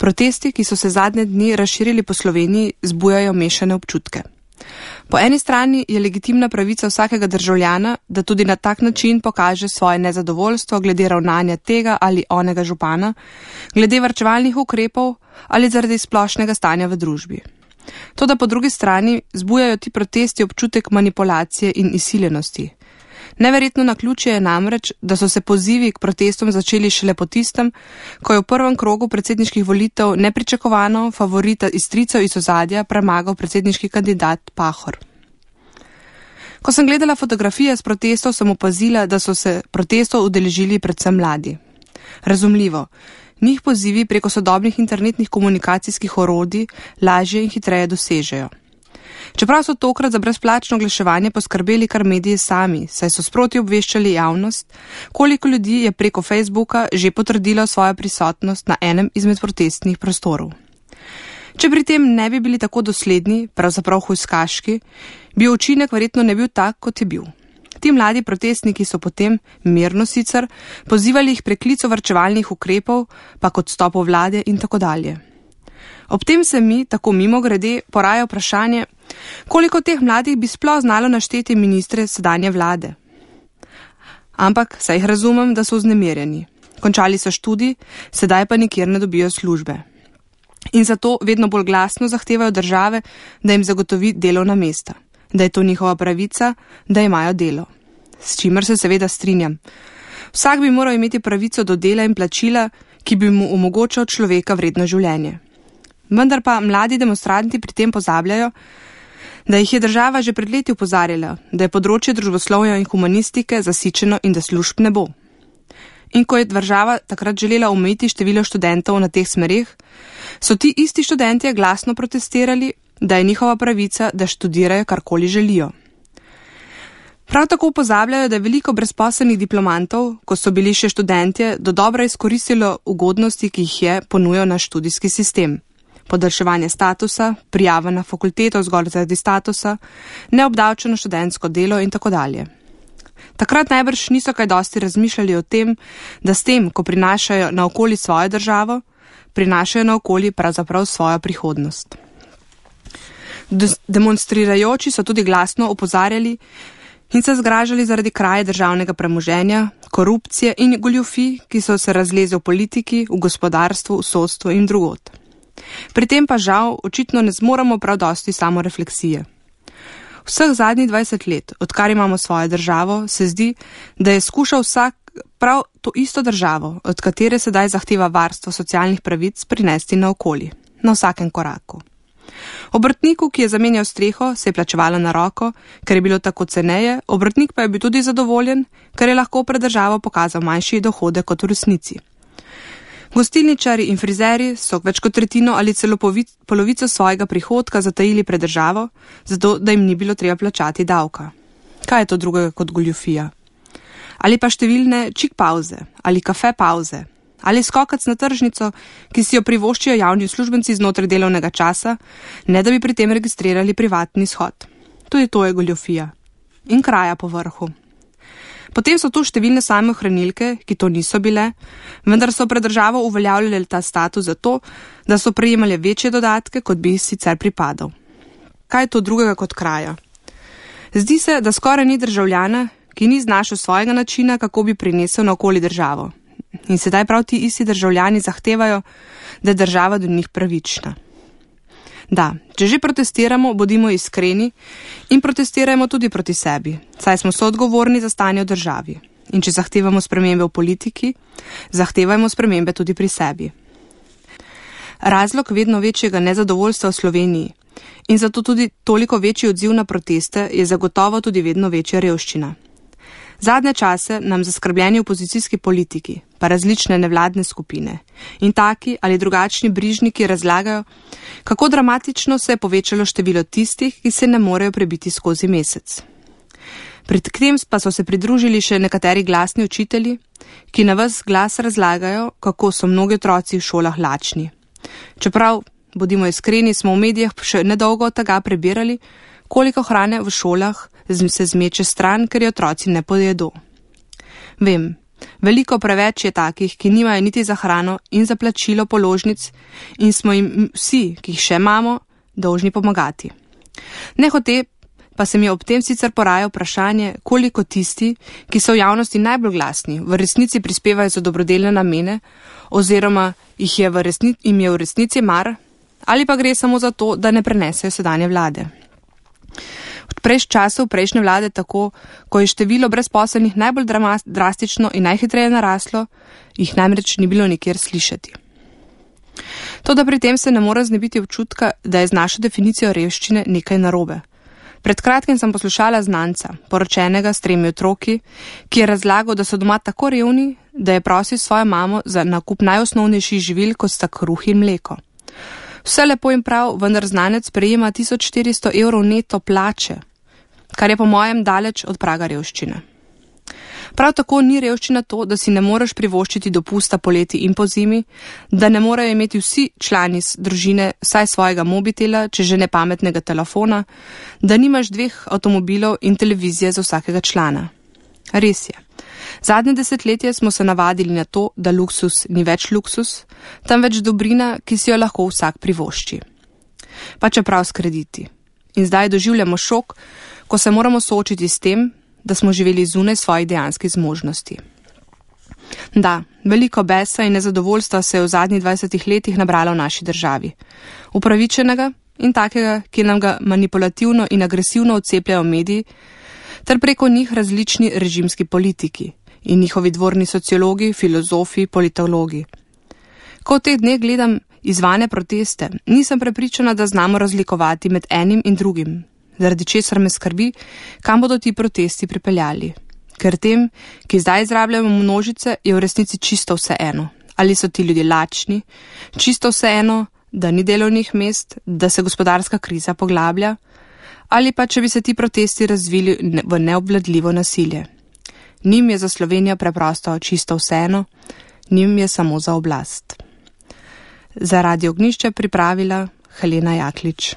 Protesti, ki so se zadnje dni razširili po Sloveniji, zbujajo mešane občutke. Po eni strani je legitimna pravica vsakega državljana, da tudi na tak način pokaže svoje nezadovoljstvo glede ravnanja tega ali onega župana, glede varčevalnih ukrepov ali zaradi splošnega stanja v družbi. Toda po drugi strani zbujajo ti protesti občutek manipulacije in izsiljenosti. Neverjetno naključje je namreč, da so se pozivi k protestom začeli šele po tistem, ko je v prvem krogu predsedniških volitev nepričakovano favorita iz stricev iz ozadja premagal predsedniški kandidat Pahor. Ko sem gledala fotografije s protestov, sem opazila, da so se protestov udeležili predvsem mladi. Razumljivo, njih pozivi preko sodobnih internetnih komunikacijskih orodij lažje in hitreje dosežejo. Čeprav so tokrat za brezplačno oglaševanje poskrbeli kar mediji sami, saj so sproti obveščali javnost, koliko ljudi je preko Facebooka že potrdilo svojo prisotnost na enem izmed protestnih prostorov. Če pri tem ne bi bili tako dosledni, pravzaprav hujskaški, bi učinek verjetno ne bil tak, kot je bil. Ti mladi protestniki so potem, mirno sicer, pozivali jih preklico varčevalnih ukrepov, pa kot odstopu vlade in tako dalje. Ob tem se mi, tako mimogrede, poraja vprašanje, koliko teh mladih bi sploh znalo našteti ministre sedanje vlade. Ampak, saj jih razumem, da so vznemirjeni. Končali so študij, sedaj pa nikjer ne dobijo službe. In zato vedno bolj glasno zahtevajo države, da jim zagotovi delovna mesta, da je to njihova pravica, da imajo delo. S čimer se seveda strinjam. Vsak bi moral imeti pravico do dela in plačila, ki bi mu omogočal človeka vredno življenje. Vendar pa mladi demonstranti pri tem pozabljajo, da jih je država že pred leti opozarjala, da je področje družboslovja in humanistike zasičeno in da služb ne bo. In ko je država takrat želela omejiti število študentov na teh smereh, so ti isti študentje glasno protestirali, da je njihova pravica, da študirajo karkoli želijo. Prav tako pozabljajo, da je veliko brezposelnih diplomantov, ko so bili še študentje, do dobra izkoristilo ugodnosti, ki jih je ponujal naš študijski sistem. Podaljševanje statusa, prijava na fakulteto zgolj zaradi statusa, neobdavčeno študentsko delo in tako dalje. Takrat najbrž niso kaj dosti razmišljali o tem, da s tem, ko prinašajo na okoli svojo državo, prinašajo na okoli pravzaprav svojo prihodnost. Demonstrirajoči so tudi glasno opozarjali in se zgražali zaradi kraje državnega premoženja, korupcije in goljufij, ki so se razleze v politiki, v gospodarstvu, v sodstvu in drugod. Pri tem pa žal očitno ne zmoremo prav dosti samorefleksije. Vseh zadnjih 20 let, odkar imamo svojo državo, se zdi, da je skušal vsak prav to isto državo, od katere sedaj zahteva varstvo socialnih pravic, prinesti na okoli, na vsakem koraku. Obrtniku, ki je zamenjal streho, se je plačevalo na roko, ker je bilo tako ceneje, obrtnik pa je bil tudi zadovoljen, ker je lahko pred državo pokazal manjši dohodek kot v resnici. Gostilničari in frizeri so več kot tretjino ali celo polovico svojega prihodka zatajili pred državo, zato da jim ni bilo treba plačati davka. Kaj je to drugega kot goljufija? Ali pa številne čik pauze, ali kafe pauze, ali skokac na tržnico, ki si jo privoščijo javni uslužbenci znotraj delovnega časa, ne da bi pri tem registrirali privatni shod. Tudi to je goljufija. In kraja po vrhu. Potem so tu številne samohranilke, ki to niso bile, vendar so pred državo uveljavljali ta status zato, da so prejemali večje dodatke, kot bi sicer pripadal. Kaj je to drugega kot kraja? Zdi se, da skoraj ni državljana, ki ni znašel svojega načina, kako bi prinesel na okoli državo. In sedaj prav ti isti državljani zahtevajo, da je država do njih pravična. Da, če že protestiramo, bodimo iskreni in protestirajmo tudi proti sebi, saj smo soodgovorni za stanje v državi. In če zahtevamo spremembe v politiki, zahtevajmo spremembe tudi pri sebi. Razlog vedno večjega nezadovoljstva v Sloveniji in zato tudi toliko večji odziv na proteste je zagotovo tudi vedno večja revščina. Zadnje čase nam zaskrbljeni opozicijski politiki, pa različne nevladne skupine in taki ali drugačni brižniki razlagajo, kako dramatično se je povečalo število tistih, ki se ne morejo prebiti skozi mesec. Pred tem pa so se pridružili še nekateri glasni učitelji, ki na ves glas razlagajo, kako so mnogi otroci v šolah lačni. Čeprav, bodimo iskreni, smo v medijih še nedolgo od tega prebirali, koliko hrane v šolah se zmeče stran, ker je otroci ne pojedo. Vem, Veliko preveč je takih, ki nimajo niti za hrano in za plačilo položnic in smo jim vsi, ki jih še imamo, dolžni pomagati. Nehote pa se mi ob tem sicer poraja vprašanje, koliko tisti, ki so v javnosti najbolj glasni, v resnici prispevajo za dobrodelne namene oziroma jim je v resnici mar, ali pa gre samo za to, da ne prenesejo sedanje vlade. V času prejšnje vlade tako, ko je število brezposelnih najbolj drastično in najhitreje naraslo, jih namreč ni bilo nikjer slišati. Toda pri tem se ne more znebiti občutka, da je z našo definicijo revščine nekaj narobe. Pred kratkim sem poslušala znanca, poročenega s 3 otroki, ki je razlagal, da so doma tako revni, da je prosil svojo mamo za nakup najosnovnejših živil, kot sta kruh in mleko. Vse lepo in prav, vendar znanec prejema 1400 evrov neto plače, kar je po mojem daleč od praga revščine. Prav tako ni revščina to, da si ne moreš privoščiti dopusta poleti in pozimi, da ne morejo imeti vsi člani družine vsaj svojega mobitela, če že ne pametnega telefona, da nimaš 2 avtomobilov in televizije za vsakega člana. Res je. Zadnje desetletje smo se navadili na to, da luksus ni več luksus, temveč dobrina, ki si jo lahko vsak privošči. Pa čeprav s krediti. In zdaj doživljamo šok, ko se moramo soočiti s tem, da smo živeli zunaj svojih dejanskih zmožnosti. Da, veliko besa in nezadovoljstva se je v zadnjih 20 letih nabralo v naši državi. Upravičenega in takega, ki nam ga manipulativno in agresivno odcepljajo mediji, ter preko njih različni režimski politiki in njihovi dvorni sociologi, filozofi, politologi. Ko v teh dneh gledam izvane proteste, nisem prepričana, da znamo razlikovati med enim in drugim, zaradi česar me skrbi, kam bodo ti protesti pripeljali. Ker tem, ki zdaj izrabljajo množice, je v resnici čisto vseeno. Ali so ti ljudje lačni, čisto vseeno, da ni delovnih mest, da se gospodarska kriza poglablja, ali pa če bi se ti protesti razvili v neobvladljivo nasilje. Njim je za Slovenijo preprosto čisto vseeno, njim je samo za oblast. Za Radio Ognjišče pripravila Helena Jaklič.